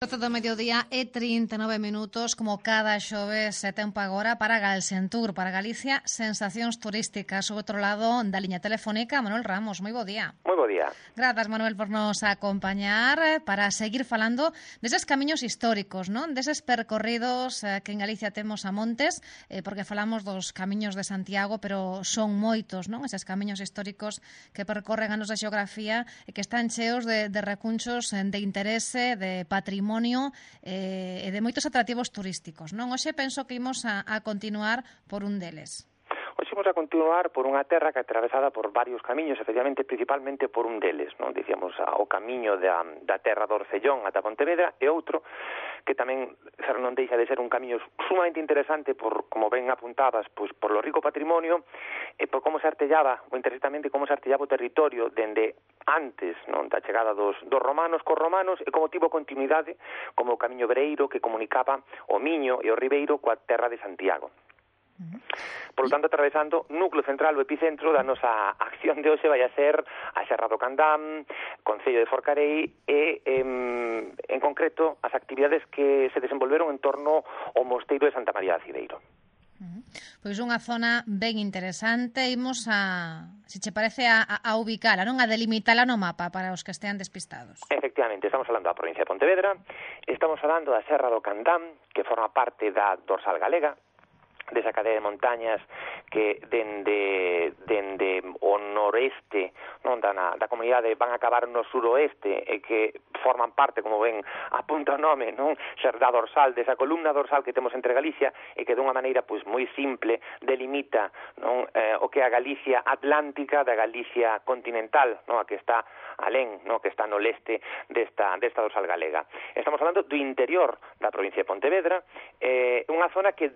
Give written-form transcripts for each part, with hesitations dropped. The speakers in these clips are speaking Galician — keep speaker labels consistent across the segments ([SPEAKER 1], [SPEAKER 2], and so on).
[SPEAKER 1] 12 do mediodía e 39 minutos, como cada xoves, tempo agora para Galsentur, para Galicia, sensacións turísticas. O outro lado da liña telefónica, Manuel Ramos. Moi bo día.
[SPEAKER 2] Moi bo día.
[SPEAKER 1] Grazas, Manuel, por nos acompañar para seguir falando deses camiños históricos, non? Deses percorridos que en Galicia temos a montes, porque falamos dos camiños de Santiago, pero son moitos, non? Eses camiños históricos que percorren a nosa xeografía e que están cheos de recunchos de interese, de patrimonio e de moitos atractivos turísticos, non? Hoxe penso que imos a continuar por un deles.
[SPEAKER 2] Hoxe imos a continuar por unha terra que é atravesada por varios camiños, efectivamente, principalmente por un deles, non? Dicíamos o camiño da terra do Orcellón ata Pontevedra e outro que tamén non deixa de ser un camiño sumamente interesante por, como ben apuntabas, pois por lo rico patrimonio e por como se artellaba, o interesantamente como se artellaba o territorio dende antes, non, da chegada dos romanos cos romanos e como tivo continuidade como o camiño Bereiro que comunicaba o Miño e o Ribeiro coa terra de Santiago. Por lo tanto, atravesando núcleo central, o epicentro da nosa acción de hoxe vai a ser a Serra do Candám, Concello de Forcarei e, en concreto, as actividades que se desenvolveron en torno ao mosteiro de Santa María de Aciveiro.
[SPEAKER 1] Pois unha zona ben interesante, imos se che parece, a ubicala, non? A delimitala no mapa para os que estean despistados.
[SPEAKER 2] Efectivamente, estamos falando da provincia de Pontevedra, estamos falando da Serra do Candám, que forma parte da dorsal galega, desa cadea de montañas que dende o noreste, non, da comunidade van a acabar no suroeste e que forman parte, como ben apunta o nome, non, ser da dorsal, desa columna dorsal que temos entre Galicia e que dunha maneira pois moi simple delimita, non, o que é a Galicia atlántica da Galicia continental, non, a que está alén, non, que está no leste desta dorsal galega. Estamos falando do interior da provincia de Pontevedra, unha zona que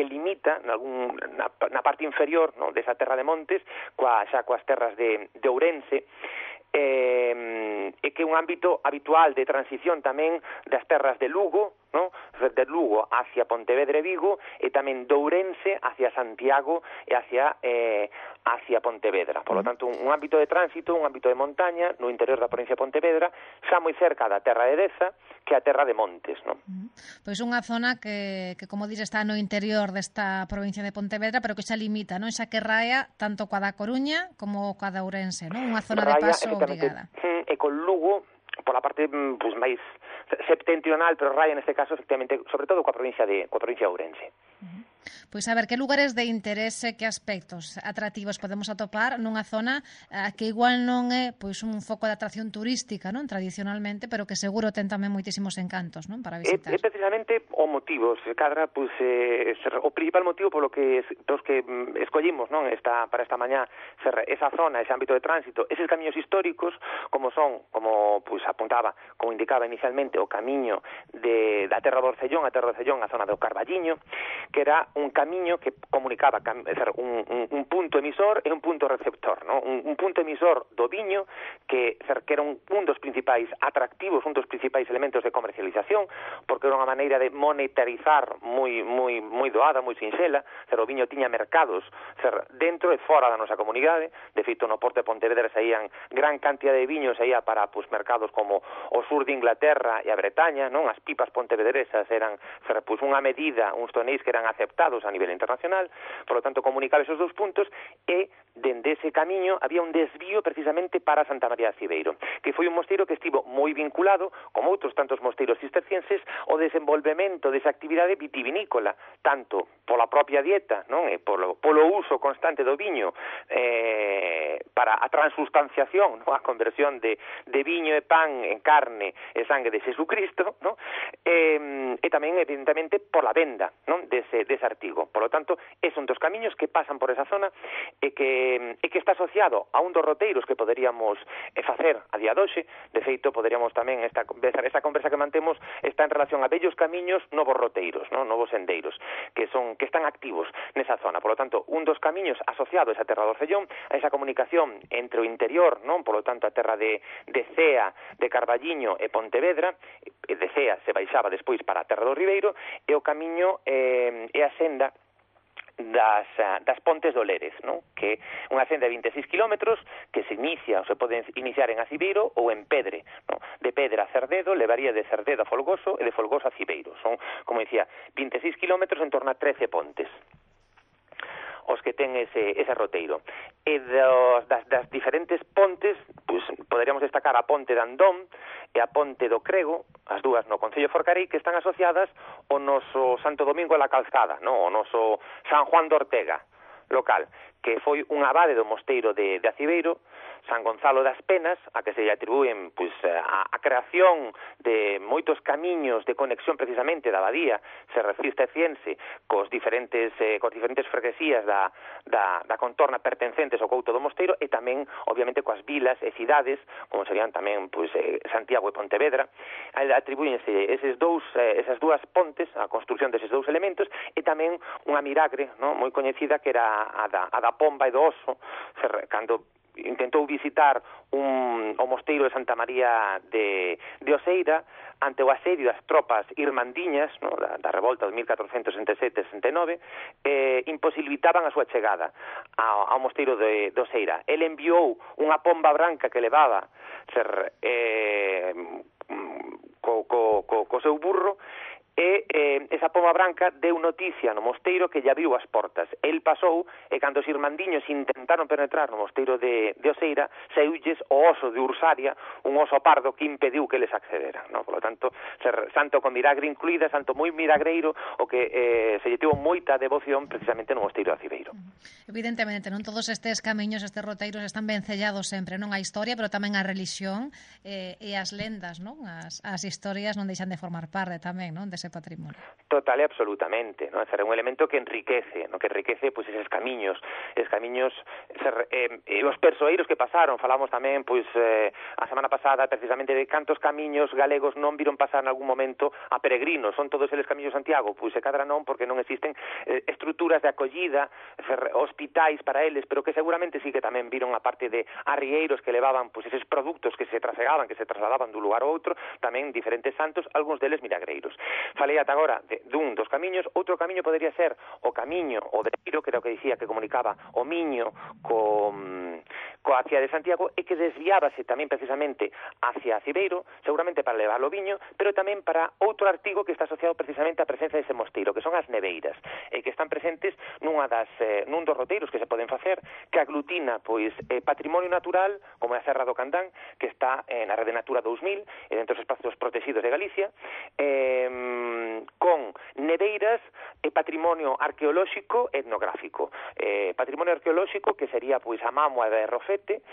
[SPEAKER 2] limita na parte inferior, no, desa terra de montes xa coas terras de Ourense e que é un ámbito habitual de transición tamén das terras de Lugo, no? De Lugo hacia Pontevedra e Vigo e tamén de Ourense hacia Santiago e hacia Pontevedra. Por lo tanto, un ámbito de tránsito, un ámbito de montaña no interior da provincia de Pontevedra, xa moi cerca da terra de Deza, que é a terra de Montes, non?
[SPEAKER 1] Pois unha zona que como diz, está no interior desta provincia de Pontevedra, pero que xa limita, non? Xa que raia tanto coa da Coruña como coa da Ourense, non? Unha zona de paso obrigada.
[SPEAKER 2] E con Lugo, pola parte pues, máis septentrional, pero raia neste caso, efectivamente, sobre todo coa provincia de Ourense.
[SPEAKER 1] Pois a ver, que lugares de interese, que aspectos atractivos podemos atopar nunha zona que igual non é pois un foco de atracción turística, non, tradicionalmente, pero que seguro ten tamén moitísimos encantos, non, para visitar.
[SPEAKER 2] É precisamente o motivo, se cadra, pois o principal motivo polo que escollimos, non, para esta mañá, esa zona, ese ámbito de tránsito, eses camiños históricos, como son, como pois apuntaba, como indicaba inicialmente, o camiño da terra do Orcellón, a zona do Carballiño, que era un camiño que comunicaba un punto emisor e un punto receptor, ¿no? Un punto emisor do viño que era un dos principais atractivos, un dos principais elementos de comercialización, porque era unha maneira de monetarizar moi doada, moi sinxela. O viño tiña mercados dentro e fora da nosa comunidade. De feito, no porto de Pontevedra saían gran cantidad de viños saía para mercados como o sur de Inglaterra e a Bretaña, non? As pipas pontevedresas eran unha medida, uns tonéis que eran aceptados a nivel internacional. Por lo tanto, comunicaba esos dos puntos e dende ese camiño había un desvío precisamente para Santa María de Aciveiro, que foi un mosteiro que estivo moi vinculado, como outros tantos mosteiros cistercienses, ao desenvolvemento desa actividade vitivinícola, tanto pola propia dieta, non, e polo uso constante do viño para a transustanciación, non, a conversión de viño e pan en carne e sangue de Jesucristo, non, e tamén, evidentemente, por la venda, non, dese artigo. Por lo tanto, é un dos camiños que pasan por esa zona e que está asociado a un dos roteiros que poderíamos facer a día de hoxe. De feito, poderíamos tamén, esta conversa que mantemos está en relación a bellos camiños, novos roteiros, non, novos sendeiros, que están activos nesa zona. Por lo tanto, un dos camiños asociado a esa terra do Orcellón, a esa comunicación entre o interior, non, por lo tanto, a terra de Cea, de Carballiño e Pontevedra, de Cea se baixaba despois para a terra do Ribeiro, e o camiño e a senda das Pontes do Lérez, non? Que é unha senda de 26 kilómetros que se inicia, ou se pode iniciar en Acibeiro ou en Pedre, non? De Pedre a Cerdedo, levaría de Cerdedo a Folgoso e de Folgoso a Acibeiro. Son, como dicía, 26 kilómetros en torno a 13 pontes os que ten ese roteiro. E das diferentes pontes, pues, poderíamos destacar a ponte de Andón e a ponte do Crego, as dúas no Concello de Forcarei, que están asociadas ao noso Santo Domingo de la Calzada, no? O noso San Juan de Ortega local, que foi un abade do mosteiro de Acibeiro, San Gonzalo das Penas, a que se lle atribúen pois, a creación de moitos camiños de conexión precisamente da abadía cisterciense cos diferentes freguesías da contorna pertencentes ao couto do mosteiro e tamén, obviamente, coas vilas e cidades, como serían tamén pois, Santiago e Pontevedra. Atribúense esas dúas pontes, a construción deses dous elementos, e tamén unha miragre, non, moi coñecida, que era a da Pomba e do Oso, cando intentou visitar o mosteiro de Santa María de Oseira ante o asedio das tropas irmandiñas, no, da revolta de 1467-69, imposibilitaban a súa chegada ao mosteiro de Oseira. Ele enviou unha pomba branca que levaba co seu burro, e esa pomba branca deu noticia no mosteiro que lle abriu as portas. El pasou e cando os irmandiños intentaron penetrar no mosteiro de Oseira, saíulles o oso de Ursaria, un oso pardo que impediu que eles accederan, no? Por lo tanto, santo con miragre incluída, santo moi miragreiro, o que se lle tivo moita devoción precisamente no mosteiro de Acibeiro.
[SPEAKER 1] Evidentemente, non todos estes camiños, estes roteiros están ben sellados sempre, non a historia, pero tamén a religión e as lendas, non? As historias non deixan de formar parte tamén, non, dese patrimonio.
[SPEAKER 2] Total e absolutamente, non? É un elemento que enriquece, non? Que enriquece pois eses camiños, os persoeiros que pasaron. Falamos tamén pois a semana pasada precisamente de cantos camiños galegos non viron pasar en algún momento a peregrinos. Son todos eles camiños de Santiago? Pois se cadra non, porque non existen estruturas de acollida, hospitais para eles, pero que seguramente sí que tamén viron a parte de arrieiros que levaban pois eses produtos que se trasladaban dun lugar a outro, tamén diferentes santos, algúns deles milagreiros. Falei ata agora dun dos camiños. Outro camiño podería ser o camiño o de Eiro, que era o que dicía que comunicaba o Miño coa cidade de Santiago, e que desviábase tamén precisamente hacia Acibeiro, seguramente para levar o viño, pero tamén para outro artigo que está asociado precisamente á presenza dese mosteiro, que son as neveiras, e que están presentes nun dos roteiros que se poden facer, que aglutina pois patrimonio natural, como é a Serra do Candán, que está na Rede Natura 2000, e dentro dos espacios protegidos de Galicia, con neveiras e patrimonio arqueolóxico e etnográfico. Patrimonio arqueolóxico que sería pois a Mámoa de Rofete,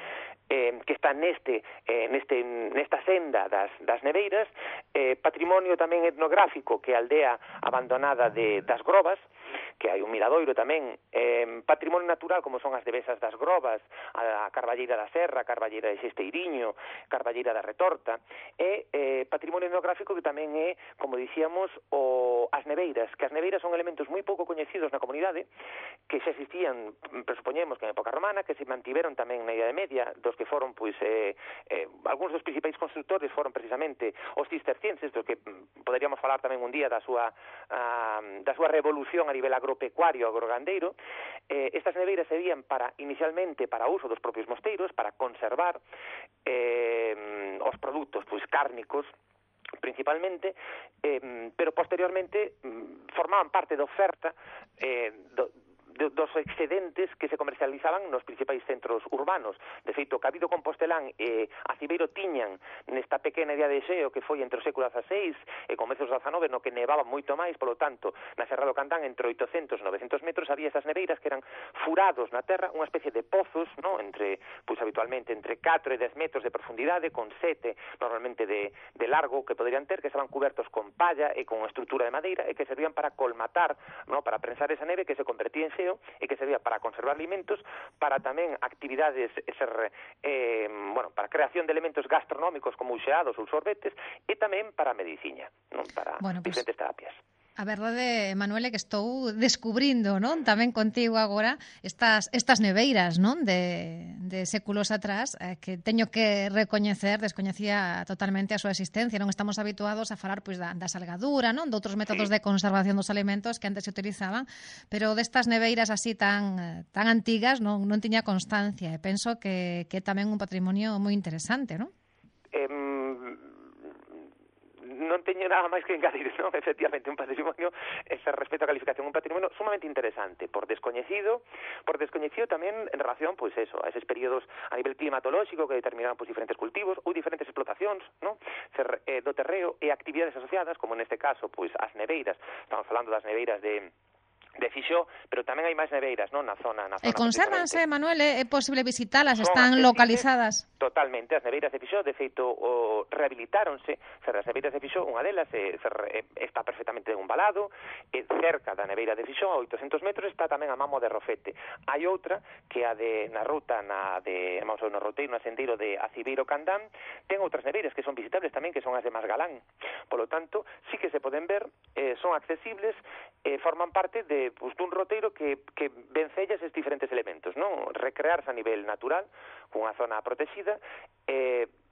[SPEAKER 2] que está nesta senda das neveiras, patrimonio tamén etnográfico que é a aldea abandonada das Grobas, que hai un miradoiro tamén, patrimonio natural como son as devesas das Grobas, a Carballeira da Serra, a Carballeira de Xesteiriño, Carballeira da Retorta, e patrimonio etnográfico que tamén é, como dicíamos, as neveiras, que as neveiras son elementos moi pouco coñecidos na comunidade, que xa existían, presupoñemos que en época romana, que se mantiveron tamén na Idade Media, dos que foron, pois, algúns dos principais constructores foron precisamente os cistercienses, dos que poderíamos falar tamén un día da súa revolución a nivel agropecuario, agrogandeiro. Estas neveiras serían inicialmente para uso dos propios mosteiros, para conservar os produtos pois cárnicos principalmente, pero posteriormente formaban parte da oferta dos excedentes que se comercializaban nos principais centros urbanos. De feito, Cabido Compostelán e Acibeiro tiñan nesta pequena idea de xeo que foi entre o século XVI e comezos do XIX, no que nevaba moito máis, polo tanto, na Serra do Candán, entre 800 e 900 metros, había esas neveiras que eran furados na terra, unha especie de pozos, no? Habitualmente entre 4 e 10 metros de profundidade, con 7 normalmente de largo que poderían ter, que estaban cubertos con palla e con estrutura de madeira, e que servían para colmatar, no? Para prensar esa neve que se convertía en xeo, e que servía para conservar alimentos, para tamén actividades para creación de elementos gastronómicos como uxeados ou sorbetes, e tamén para a medicina, non? Para diferentes terapias.
[SPEAKER 1] A verdade, Manuel, é que estou descubrindo, non, tamén contigo agora estas neveiras, non, de séculos atrás, que teño que recoñecer, descoñecía totalmente a súa existencia. Non estamos habituados a falar pois da salgadura, non, de outros métodos de conservación dos alimentos que antes se utilizaban, pero destas neveiras así tan antigas non tiña constancia, e penso que é tamén un patrimonio moi interesante, non?
[SPEAKER 2] Non teño nada máis que engadir, non? Efectivamente, un patrimonio, respecto á calificación, un patrimonio sumamente interesante, por descoñecido tamén en relación, pois eso, a eses períodos a nivel climatolóxico que determinaban pois diferentes cultivos ou diferentes explotacións, non? Do terreo e actividades asociadas, como neste caso, pois as neveiras, estamos falando das neveiras de Fixó, pero tamén hai máis neveiras, non, na zona.
[SPEAKER 1] E consérvanse, Manuel, é posible visitalas, están localizadas?
[SPEAKER 2] Totalmente, as neveiras de Fixó, de feito, rehabilitáronse, as neveiras de Fixó, unha delas está perfectamente embalado, cerca da neveira de Fixó, a 800 metros, está tamén a Mamo de Rofete. Hai outra, que a na ruta, no roteiro, no sendeiro de Acibeiro Candán, ten outras neveiras que son visitables tamén, que son as de Masgalán. Polo tanto, sí que se poden ver, son accesibles, forman parte dun roteiro que vencella esses diferentes elementos, non? Recrearse a nivel natural, cunha zona protegida,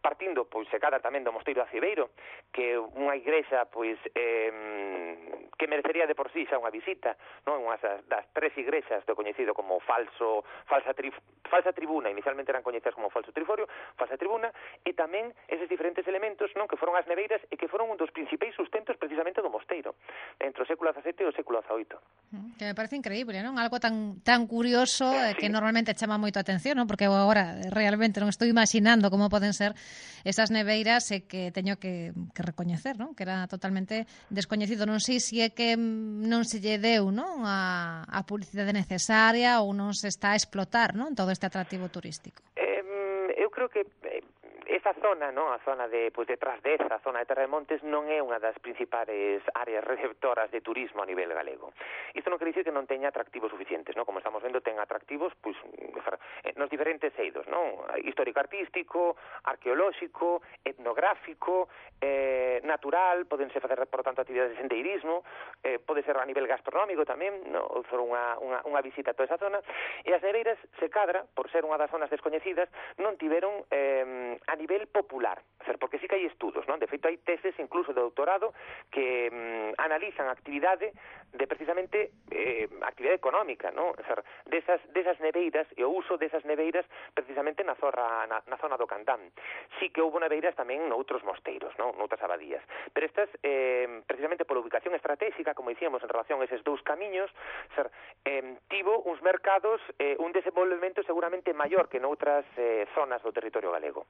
[SPEAKER 2] partindo, pois, se cadra tamén do Mosteiro de Acibeiro, que é unha igrexa, pois, que merecería de por sí xa unha visita, non? Unha das tres igrexas do coñecido como falsa tribuna, inicialmente eran coñecidas como falso triforio, falsa tribuna, e tamén eses diferentes elementos, non? Que foron as neveiras e que foron un dos principais sustentos precisamente do mosteiro, entre o século XVII e o século XVIII.
[SPEAKER 1] Que me parece increíble, non? Algo tan curioso, que normalmente chama moito a atención, non? Porque eu agora realmente non estou imaginando como poden ser esas neveiras, e que teño que recoñecer, non? Que era totalmente descoñecido. Non sei se é que non se lle deu, non, a publicidade necesaria, ou non se está a explotar, non, todo este atractivo turístico.
[SPEAKER 2] Eu creo que esa zona, non, a zona de Trasdeza, a zona de Terra de Montes, non é unha das principais áreas receptoras de turismo a nivel galego. Isto non quere dicir que non teña atractivos suficientes, non? Como estamos vendo, ten atractivos pois nos diferentes eidos, non? Histórico-artístico, arqueolóxico, etnográfico, natural, podense facer, por tanto, actividades de sendeirismo, pode ser a nivel gastronómico tamén, non? For unha visita a toda esa zona, e as neveiras, se cadra, por ser unha das zonas descoñecidas, non tiveron a nivel popular, porque sí que hai estudos, non? De feito, hai teses incluso de doutorado que analizan a actividade de precisamente actividade económica, non? Desas neveiras e o uso desas neveiras precisamente na zona do Candán. Sí que houve neveiras tamén noutros mosteiros, non? Noutras abadías. Pero estas, precisamente pola ubicación estratégica, como dicíamos, en relación a eses dous camiños, tivo uns mercados, un desenvolvemento seguramente maior que noutras zonas do territorio galego.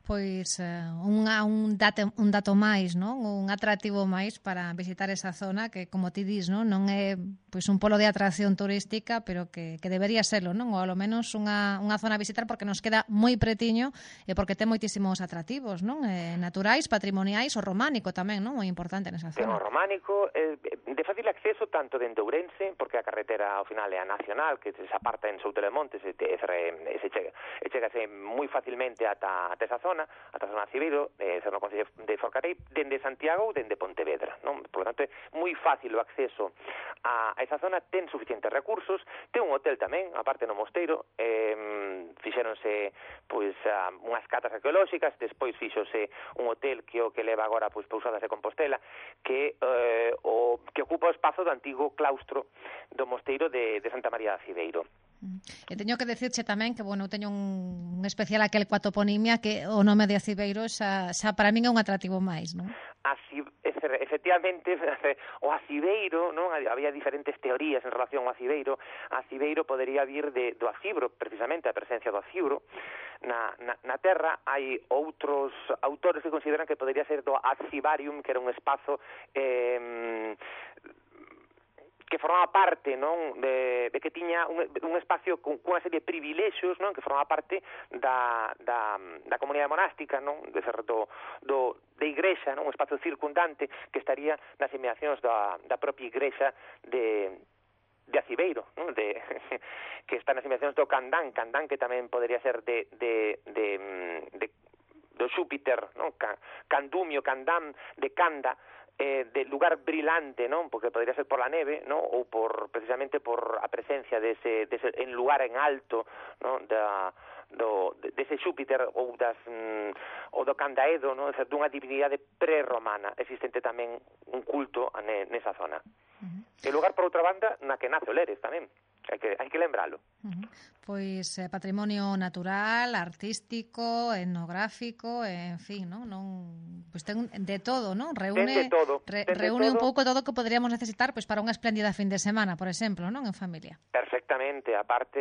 [SPEAKER 1] Pois un dato máis, non? Un atractivo máis para visitar esa zona que, como ti dis, non é pois un polo de atracción turística, pero que debería serlo, non? Ou ao menos unha zona a visitar, porque nos queda moi pretiño e porque ten moitísimos atractivos, non? Naturais, patrimoniais, o románico tamén, non? Moi importante nesa zona.
[SPEAKER 2] Ten o románico, de fácil acceso tanto dende Ourense, porque a carretera ao final é a nacional, que se aparta en Soutelo de Montes e chegase moi facilmente ata esa zona, ata a zona de Acibeiro, no Concello de Forcarei, dende Santiago ou dende Pontevedra, non? Por lo tanto, é moi fácil o acceso a esa zona, ten suficientes recursos, ten un hotel tamén, aparte no mosteiro, fixéronse pois unhas catas arqueolóxicas, despois fixose un hotel que leva agora pois Pousadas de Compostela, que ocupa o espazo do antigo claustro do mosteiro de Santa María de Acibeiro.
[SPEAKER 1] E teño que decirche tamén que, eu teño un especial aquel coa toponimia, que o nome de Acibeiro xa para min é un atractivo máis, non?
[SPEAKER 2] Efectivamente, o Acibeiro, non? Había diferentes teorías en relación ao Acibeiro. Acibeiro podería vir do acibro, precisamente a presencia do acibro na terra. Hai outros autores que consideran que podería ser do Acibarium, que era un espazo que formaba parte, non, de que tiña un espacio cunha serie de privilexios, non, que formaba parte da comunidade monástica, non, de igrexa, non, un espacio circundante que estaría nas inmediacións da propia igrexa de Acibeiro, non? Que está nas inmediacións do Candán que tamén podría ser do Xúpiter, non? Candumio, Candán, de Canda, de lugar brilante, non? Porque podría ser por la neve, non? Ou precisamente por a presencia dese en lugar en alto, non? Dese Xúpiter ou do Candaedo, non? Dunha divinidade prerromana. Existente tamén un culto nesa zona. E lugar, por outra banda, na que nace o Lérez tamén. Hai que lembralo.
[SPEAKER 1] Pois patrimonio natural, artístico, etnográfico, en fin, non pois ten de todo, non? Reúne un pouco todo o que poderíamos necesitar pois para unha espléndida fin de semana, por exemplo, non, en familia.
[SPEAKER 2] Perfectamente, aparte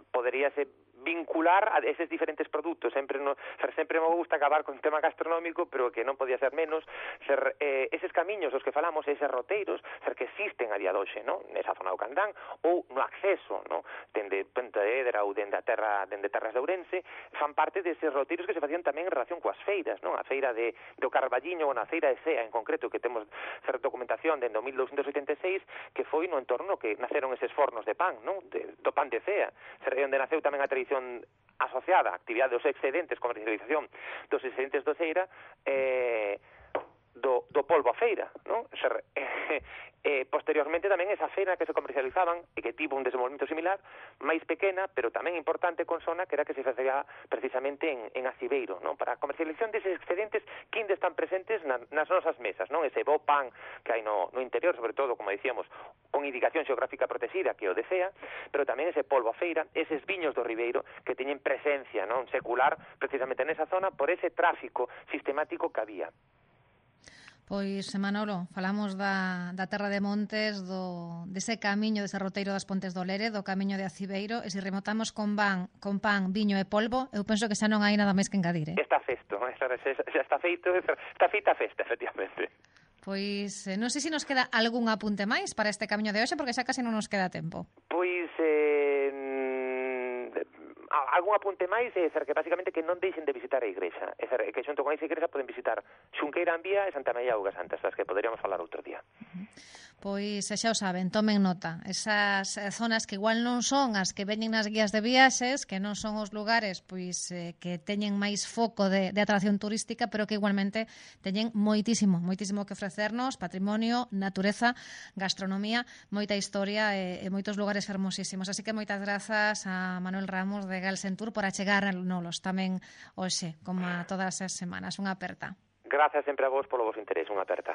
[SPEAKER 2] poderíase vincular a eses diferentes produtos. Sempre me gusta acabar con o tema gastronómico, pero que non podía ser menos, eses camiños os que falamos, eses roteiros, que existen a día de hoxe, non? Nesa zona do Candán, ou no acceso, non? Dende Pontevedra ou dende Terras de Ourense, fan parte deses roteiros que se facían tamén en relación coas feiras, non? A feira do Carballiño ou na feira de Cea, en concreto, que temos documentación dende o 1286, que foi no entorno que naceron eses fornos de pan, non? Do pan de Cea, onde naceu tamén a tradición asociada a actividade dos excedentes, comercialización dos excedentes do Ceira, do polvo a feira, non? Posteriormente tamén esa feira que se comercializaban e que tivo un desenvolvemento similar, máis pequena, pero tamén importante con zona, que era que se facía precisamente en Aciveiro, non? Para a comercialización deses excedentes que ainda están presentes nas nosas mesas, non? Ese bo pan que hai no interior, sobre todo, como dicíamos, con indicación xeográfica protegida, que o desea, pero tamén ese polvo a feira, eses viños do Ribeiro que teñen presencia, non? Secular, precisamente nesa zona, por ese tráfico sistemático que había.
[SPEAKER 1] Pois, Manolo, falamos da Terra de Montes, dese camiño, dese roteiro das Pontes do Lere, do camiño de Aciveiro, e se rematamos con pan, viño e polvo, eu penso que xa non hai nada máis que engadir,
[SPEAKER 2] Está feito, xa está feita a festa, efectivamente.
[SPEAKER 1] Pois, non sei se nos queda algún apunte máis para este camiño de hoxe, porque xa casi non nos queda tempo.
[SPEAKER 2] Pois, algún apunte máis é que basicamente que non deixen de visitar a igrexa, que xunto con esa igrexa poden visitar Xunqueira Ambía e Santa María Auga Santa, das que poderíamos falar outro día.
[SPEAKER 1] Pois xa o saben, tomen nota. Esas zonas que igual non son as que veñen nas guías de viaxes, que non son os lugares pois que teñen máis foco de atracción turística, pero que igualmente teñen moitísimo que ofrecernos, patrimonio, natureza, gastronomía, moita historia e moitos lugares fermosísimos. Así que moitas grazas a Manuel Ramos de Galsentur por achegarnos tamén hoxe, como a todas as semanas. Unha aperta.
[SPEAKER 2] Grazas sempre a vos polo vos interés, unha aperta.